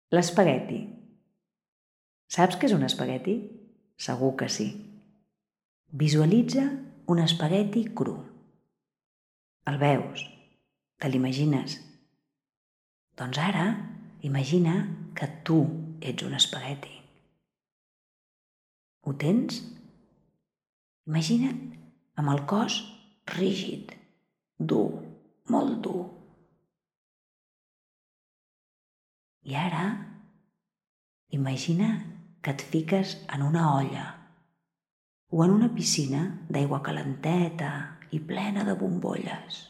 L'espagueti. Saps què és un espagueti? Segur que sí. Visualitza un espagueti cru. El veus? Te l'imagines? Doncs ara imagina que tu ets un espagueti. Ho tens? Imagina't amb el cos rígid, dur, molt dur. I ara imagina que et fiques en una olla o en una piscina d'aigua calenteta i plena de bombolles.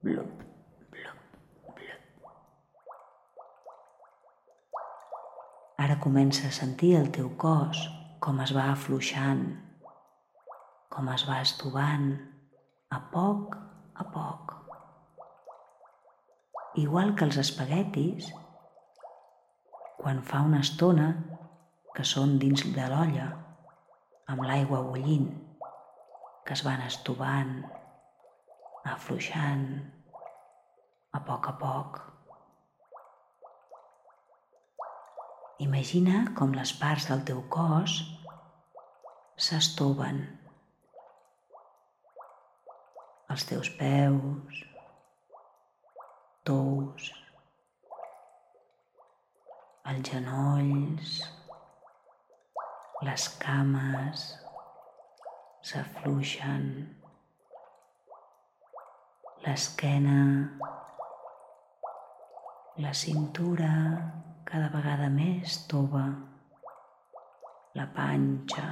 Blup, blup, blup. Ara comença a sentir el teu cos com es va afluixant, com es va estovant a poc a poc. Igual que els espaguetis, quan fa una estona que són dins de l'olla, amb l'aigua bullint, que es van estovant, afluixant a poc. Imagina com les parts del teu cos s'estoven. Els teus peus, tous, els genolls, les cames s'afluixen, l'esquena, la cintura cada vegada més tova, la panxa,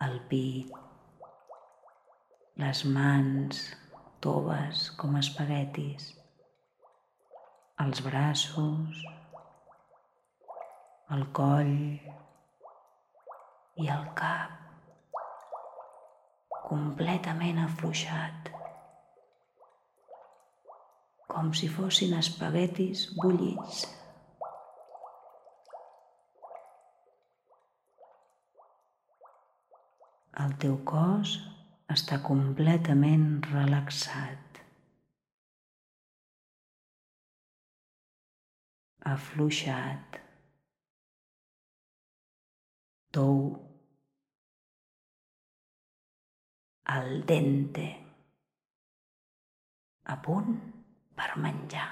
el pit, les mans toves com espaguetis, els braços, el coll i el cap completament afluixat, com si fossin espaguetis bullits. El teu cos està completament relaxat, afluixat, tou, al dente, a punt per menjar.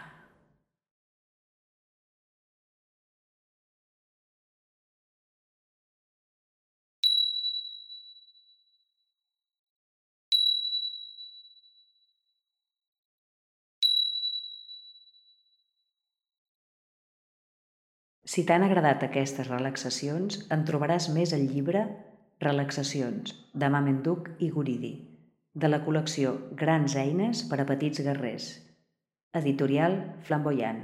Si t'han agradat aquestes relaxacions, en trobaràs més al llibre Relaxacions, de Mamenduch i Guridi, de la col·lecció Grans eines per a petits guerrers, editorial Flamboyant.